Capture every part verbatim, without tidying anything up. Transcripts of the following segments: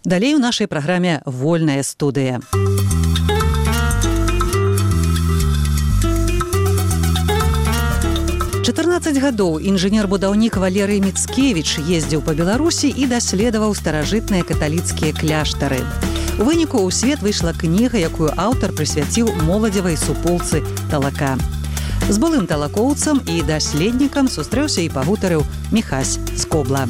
Далей у нашай праграме «Вольная студыя». чатырнаццаць гадоў інжынер-будаўнік Валерый Міцкевіч ездзіў па Беларусі і даследаваў старажытныя каталіцкія кляштары. У выніку ў свет выйшла кніга, якую аўтар прысвяціў моладзевай суполцы Талака. З былым талакоўцам і даследнікам сустрэўся і пагутарыў Міхась Скобла.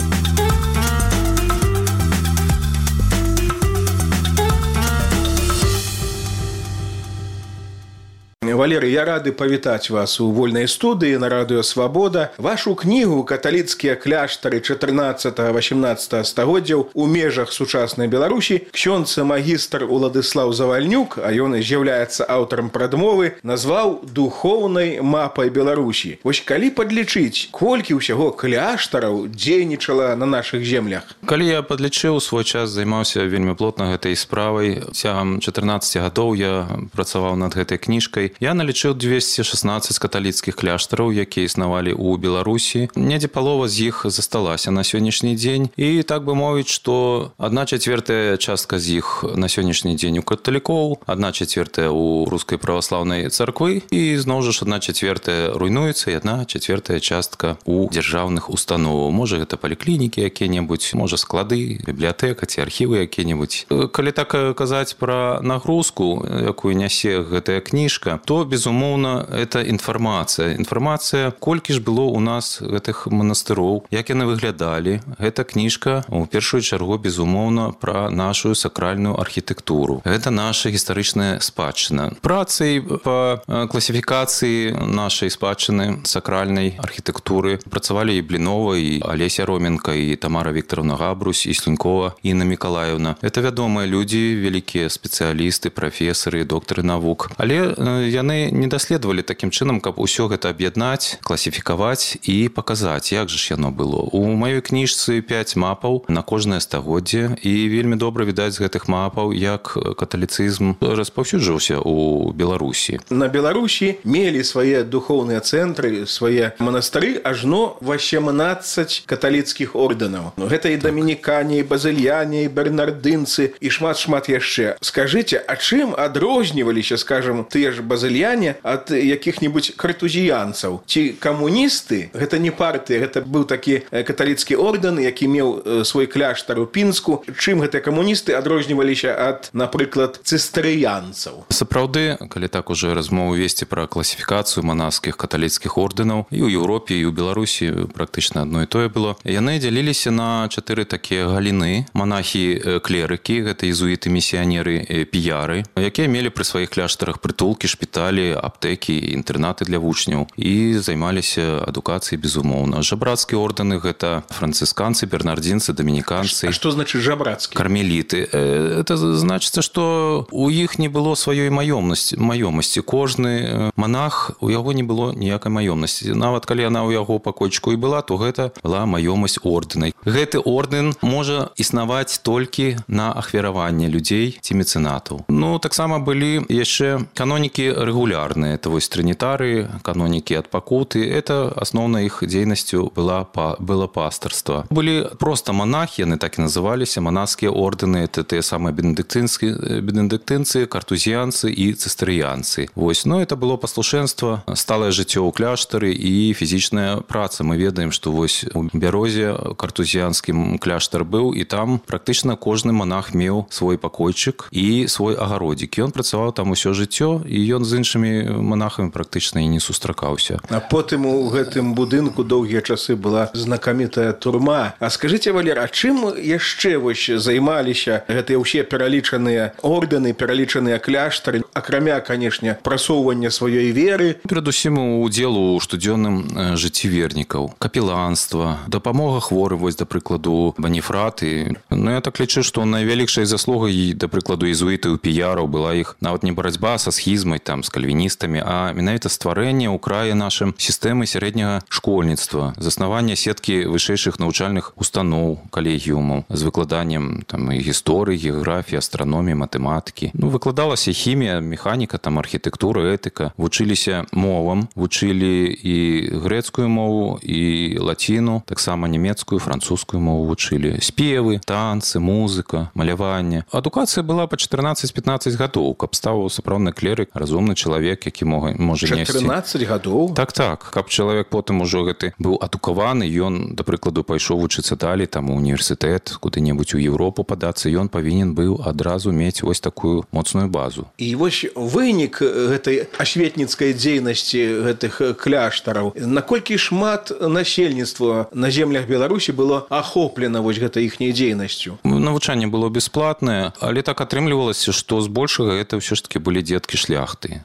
Валерый, я рады павітаць вас у вольнай студыі на радыё «Свабода». Вашу кнігу «Каталіцкія кляштары чатырнаццатага-васямнаццатага стагоддзяў у межах сучаснай Беларусі» ксёндз магістр Уладыслаў Завальнюк, а ён з'яўляецца аўтарам прадмовы, назваў духоўнай мапай Беларусі. Вось калі падлічыць, колькі ўсяго кляштараў дзейнічала на нашых землях? Калі я падлічыў, свой час займаўся вельмі плотна гэтай справай. Цягам чатырнаццаці гадоў я працаваў над гэтай кніжкай. Я налічыў дзвесце шаснаццаць каталіцкіх кляштараў, якія існавалі ў Беларусі. Недзе палова з іх засталася на сённяшні дзень. І так бы мовіць, што адна чацвёртая частка з іх на сённяшні дзень у каталікоў, адна чацвёртая ў рускай праваслаўнай царквы і зноў жа ж адна чацвёртая руйнуецца і адна чацвёртая частка ў дзяржаўных установаў. Можа, гэта паліклінікі якія-небудзь, можа, склады, бібліятэка ці архівы якія-небудзь. Калі так казаць пра нагрузку, якую нясе гэтая кніжка, то, безумоўна, это інфармацыя. Інфармацыя, колькі ж было ў нас гэтых манастыроў, як яны выглядалі. Гэта кніжка, у першую чаргу, безумоўна, пра нашу сакральную архітэктуру. Гэта наша гістарычная спадчына. Працай па класіфікацыі нашай спадчыны сакральнай архітэктуры працавалі і Блінова, і Алеся Роменка, і Тамара Віктаровна Габрусь, і Слюнькова Інна Мікалаевна. Это вядомыя людзі, вялікія спецыялісты, прафесары, доктары навук. Але яны не даследавалі такім чынам, каб усё гэта аб'яднаць, класіфікаваць і паказаць, як жа ж яно было. У маёй кніжцы пяць мапаў на кожнае стагоддзе, і вельмі добра відаць з гэтых мапаў, як каталіцызм распаўсюджваўся ў Беларусі. На Беларусі мелі свае духоўныя цэнтры, свае манастыры ажно васемнаццаць каталіцкіх ордэнаў. Гэта і дамінікане, і базыльяне, і бернардынцы, і шмат-шмат яшчэ. Скажыце, а чым адрозніваліся, скажам, тыя ж базыльяне ад якіх-небудзь картузіянцаў? Ці камуністы, гэта не партыя, гэта быў такі каталіцкі ордэн, які меў свой кляштар у Пінску. Чым гэтыя камуністы адрозніваліся ад, напрыклад, цыстэрыянцаў? Сапраўды, калі так уже размову весці пра класіфікацыю манаскіх каталіцкіх ордэнаў, і ў Еўропе, і ў Беларусі практычна адно і тое было. Яны дзяліліся на чатыры такія галіны. Манахі-клерыкі, гэта езуіты, місіянеры, піяры, якія мелі пры сваіх кляштарах прытулкі, шпіталі, аптэкі, інтэрнаты для вучняў і займаліся адукацыяй, безумоўна. Жабрацкія ордэны — гэта францысканцы, бернардзінцы, дамініканцы. А што значыць жабрацкія? Кармеліты. Это значыцца, што у іх не было сваёй маёмасці. Кожны манах, у яго не было ніякай маёмасці. Нават калі яна ў яго пакойчыку і была, то гэта была маёмасць ордэна. Гэты ордэн можа існаваць толькі на ахвяраванне людзей ці мецэнатаў. Ну, таксама былі яшчэ канонікі рэгулярныя. Это вось трынітары, канонікі ад пакуты. Это асноўнай іх дзейнасцю была, было пастырства. Былі проста манахі, яны так і называліся, манаскія ордэны. Это тыя самыя бенедыктынцы, картузіянцы і цыстэрыянцы. Вось, ну, это было паслушэнства, сталае жыццё ў кляштары і фізічная праца. Мы ведаем, што вось у Бярозе картузіянскі кляштар быў, і там практычна кожны манах меў свой пакойчык і свой агародзік. Ён працаваў там усё жыццё, і ён з іншымі манахамі практычна і не сустракаўся. А потым у гэтым будынку доўгія часы была знакамітая турма. А скажыце, Валер, а чым яшчэ вось займаліся гэтыя ўсе пералічаныя ордэны, пералічаныя кляштары, акрамя, канешне, прасоўвання сваёй веры? Перадусім удзел у штодзённым жыцці вернікаў. Капеланства, дапамога хворым, вось, да прыкладу, Баніфраты. Ну, я так лічу, што найвялікшай заслугай, да прыкладу, езуітаў, піяраў была іх нават не барацьба са схізмай, там, з кальвіністамі, а менавіта стварэнне ў краі нашым сістэмы сярэдняга школьніцтва, заснавання сеткі вышэйшых навучальных устаноў, калегіумаў з выкладаннем там і гісторыі, геаграфіі, астраноміі, матэматыкі. Ну, выкладалася хімія, механіка, там архітэктура, этыка. Вучыліся мовам, вучылі і грэцкую мову, і лаціну, таксама нямецкую, французскую мову вучылі. Спевы, танцы, музыка, маляванне. Адукацыя была па чатырнаццаць-пятнаццаць гадоў, каб стаў сапраўдны клерык, разумны чалавек, які можа несці. чатырнаццаць гадоў? Так, так. Каб чалавек потым ужо гэты быў адукаваны, ён, да прыкладу, пайшоў вучыцца далей, там, у універсітэт, куды-небудзь у Еўропу падацца, ён павінен быў адразу мець вось такую моцную базу. І вось вынік гэтай асветніцкай дзейнасці гэтых кляштараў, наколькі шмат насельніцтва на землях Беларусі было ахоплена вось гэтай іхняй дзейнасцю? Навучанне было бясплатнае, але так атрымлівалася, што збольшага гэта ўсё ж такі былі дзеткі шляхты.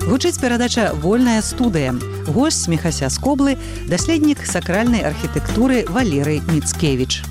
Гучыць перадача «Вольная студыя». Госць Міхася з Коблы, даследнік сакральнай архітэктуры Валерый Міцкевіч.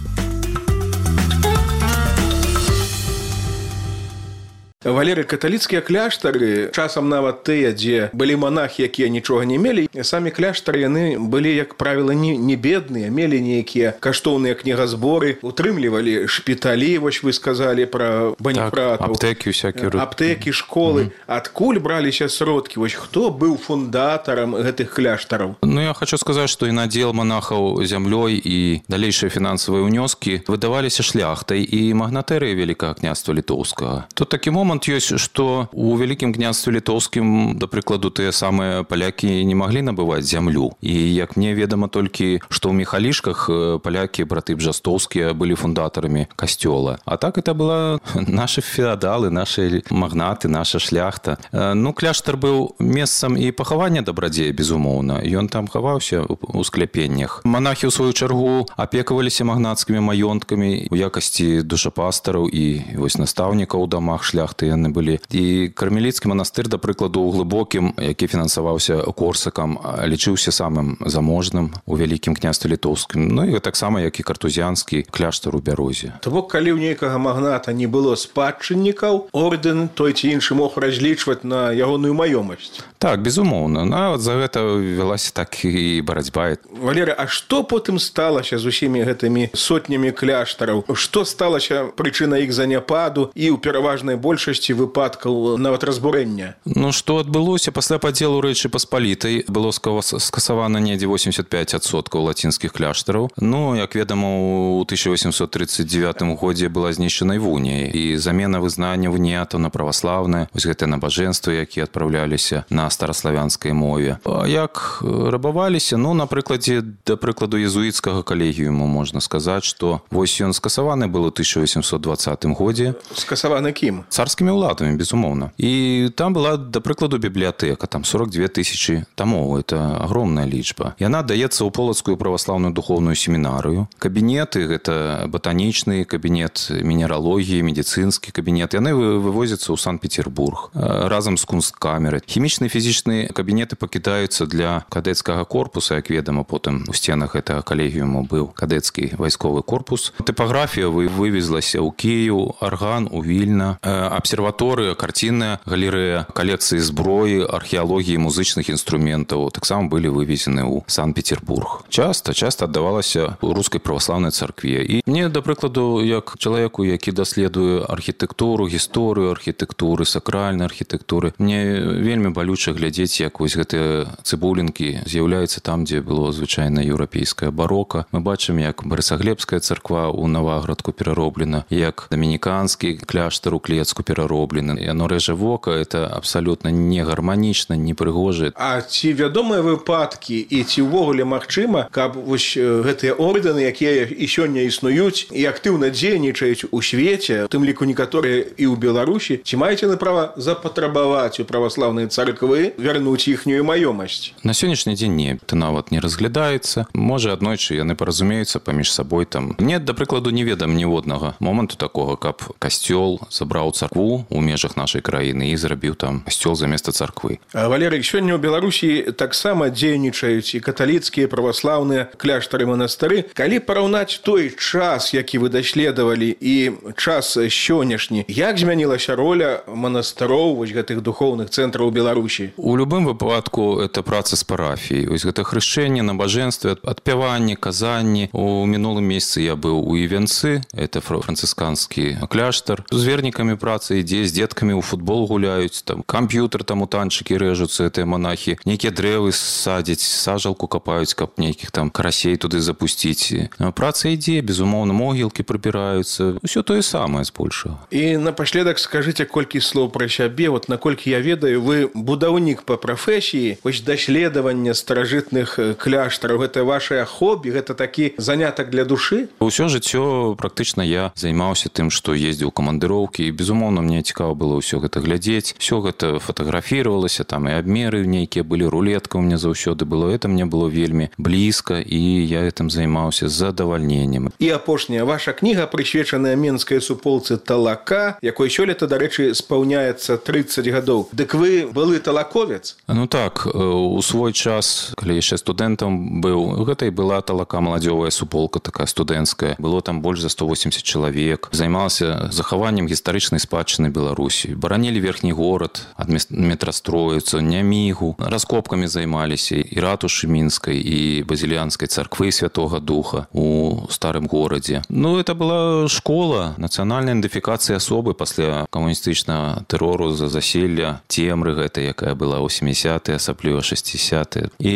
Валерый, каталіцкія кляштары, часам нават тыя, дзе былі монахі, якія нічога не мелі, самі кляштары, яны былі, як правіла, не, не бедныя, мелі нейкія каштоўныя кнігазборы, утрымлівалі шпіталі, вось вы сказалі пра банікратаў. Так, аптэкі всякія. Аптэкі, школы. Mm-hmm. Адкуль браліся сродкі? Вось хто быў фундатарам гэтых кляштараў? Ну, я хочу сказаць, што і надзел монахаў зямлёй і далейшыя фінансавыя ўнёскі выдаваліся шляхтай і магнатэрыяй Вялікага княства Літоўскага. Тут такі момант ёсць, што у Вялікім княстве Літоўскім, да прыкладу, тыя самыя палякі не маглі набываць зямлю. І як мне ведама толькі, што ў Міхалішках палякі, браты Бжастоўскія, былі фундатарамі касцёла. А так это была нашы феадалы, нашы магнаты, наша шляхта. Ну, кляштар быў месцам і пахавання дабрадзея, безумоўна. Ён там хаваўся ў скляпеннях. Монахі, у сваю чаргу, апекаваліся магнацкімі маёнткамі у якасці душапастараў і вось настаўнікаў у дамах шляхты яны былі. І кармеліцкі манастыр, да прыкладу, у Глыбокім, які фінансаваўся Корсакам, лічыўся самым заможным у Вялікім княстве Літоўскім. Ну і таксама, як і картузіанскі кляштар у Бярозе. То бок, калі ў нейкага магната не было спадчыннікаў, ордэн той ці іншы мог разлічваць на ягоную маёмасць. Так, безумоўна. Нават за гэта вялася так і барацьба. Валерый, а што потым сталася з усімі гэтымі сотнямі кляштараў? Што сталася прычынай іх заняпаду і ў пераважнай большасці выпадкаў нават разбурэння? Ну, што адбылося? Пасля падзелу Рэчы Паспалітай было скасавана недзе восемьдесят пять адсоткаў лацінскіх кляштараў. Ну, як ведама, у тысяча восемьсот тридцать девятым годзе была знішчана Вунія, і замена вызнання вуніятаў на праваслаўнае, вось гэтыя набажэнствы, якія адпраўляліся на стараславянскай мове. А як рабаваліся? Ну, на прыкладзе, да прыкладу, езуіцкага калегіуму можна сказаць, што вось ён скасаваны быў у тысяча восемьсот двадцатым годзе. Скасаваны кім? Царскімі ўладамі, безумоўна. І там была, да прыкладу, бібліятэка, там сорок две тысячи томоў, это огромная лічба. Яна даецца ў Полацкую праваслаўную духоўную семінарыю. Кабінеты, гэта батанічны кабінет, мінералогіі, медыцынскі кабінет, яны вывозяцца ў Санкт-Петербург разам з кунсткамерай. Хімічныя фізічныя кабінеты пакідаюцца для кадэцкага корпуса, як ведама, потым у сценах гэтага калегіуму быў кадэцкі вайсковы корпус. Тыпаграфія вывезлася ў Кіеў, арган у Вільна, абсерваторыя, карцінная галерэя, калекцыі зброі, археалогіі музычных інструментаў таксама былі вывезены ў Санкт-Петербург. Часта, часта аддавалася ў рускай праваслаўнай царкве. І мне, да прыкладу, як чалавеку, які даследуе архітэктуру, гісторыю архітэктуры, сакральнай архітэктуры, мне вельмі балюча глядзець, як вось гэтыя цыбулінкі з'яўляюцца там, дзе было звычайна еўрапейская барока. Мы бачым, як Барысаглебская царква ў Наваградку перароблена, як дамініканскі кляштар у Клецку перароблены. Яно рэжа вока, это абсалютна не гарманічна, не прыгожа. А ці вядомыя выпадкі і ці ўвогуле магчыма, каб вось гэтыя ордэны, якія і сёння існуюць і актыўна дзейнічаюць у свеце, у тым ліку некаторыя і ў Беларусі, ці маеце на права запатрабаваць у праваслаўнай царквы Царквы вярнуць іхнюю маёмасць. На сённяшні дзень не, это нават не разглядаецца. Можа, аднойчы яны паразумеюцца паміж сабой там. Мне, да прыкладу, не ведам ніводнага моманту такога, каб касцёл забраў царкву ў межах нашай краіны і зрабіў там касцёл заместа царквы. А, Валерый, сёння ў Беларусі таксама дзейнічаюць і каталіцкія, праваслаўныя кляштары, манастыры. Калі параўнаць той час, які вы даследавалі, і час сённяшні, як змянілася роля манастыроў, вось гэтых духоўных цэнтраў Беларусі? У любым выпадку это праца з парафіяй. Вось гэта хрышчэнне, набажэнствы, адпяванне, казанні. У мінулым месяцы я быў у Івенцы, это францысканскі кляштар. З вернікамі праца ідзе, з дзеткамі ў футбол гуляюць, там камп'ютер, там у танчыкі рэжуцца, гэтыя монахі. Нейкія дрэвы садзяць, сажалку капаюць, каб нейкіх там карасей туды запусціць. Праца ідзе, безумоўна, могілкі прыбіраюцца. Усё тое самае збольшага. І напаследак скажыце колькі слоў пра сябе. Вот наколькі я ведаю, вы будаўнік па прафесіі. Вось даследаванне старажытных кляштараў, гэта вашае хобі, гэта такі занятак для душы? Усё жыццё практычна я займаўся тым, што ездзіў у камандыроўкі, і безумоўна мне цікава было ўсё гэта глядзець. Усё гэта фатаграфіравалася, там і абмеры нейкія былі, рулетка у меня заўсёды было. Это мне было вельмі блізка, і я гэтым займаўся з задавальненнем. І апошняя ваша кніга, прысвечаная менскай суполцы Талака, якой сёлета, дарэчы, спаўняецца трыццаць гадоў. Дык вы былы талаковец? Ну так, у свой час, калі яшчэ студэнтам быў, гэта і была Талака маладзёвая суполка, такая студэнцкая. Было там больш за сто восемьдесят чалавек. Займалася захаваннем гістарычнай спадчыны Беларусі. Баранілі верхні горад ад метрастроіцу, Нямігу. Раскопкамі займаліся і ратушы мінскай, і базіліянскай царквы Святога Духа у старым горадзе. Ну, это была школа нацыянальнай ідэнтыфікацыі асобы пасля камуністычнага тэрору за заселля цемры гэтай, якая была ў сямідзесятыя, асабліва шэсцідзесятыя. І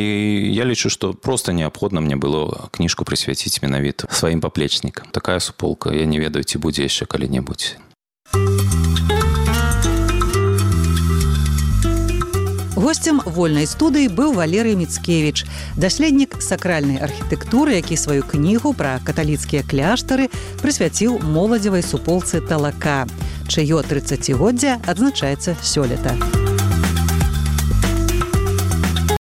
я лічу, што проста неабходна мне было кніжку прысвяціць менавіта сваім паплечнікам. Такая суполка, я не ведаю, ці будзе яшчэ калі-небудзь. Госцем вольнай студыі быў Валерый Мицкевич, даследнік сакральнай архітэктуры, які сваю кнігу пра каталіцкія кляштары прысвяціў моладзевай суполцы Талака, чыё трыццацігоддзе адзначаецца сёлета.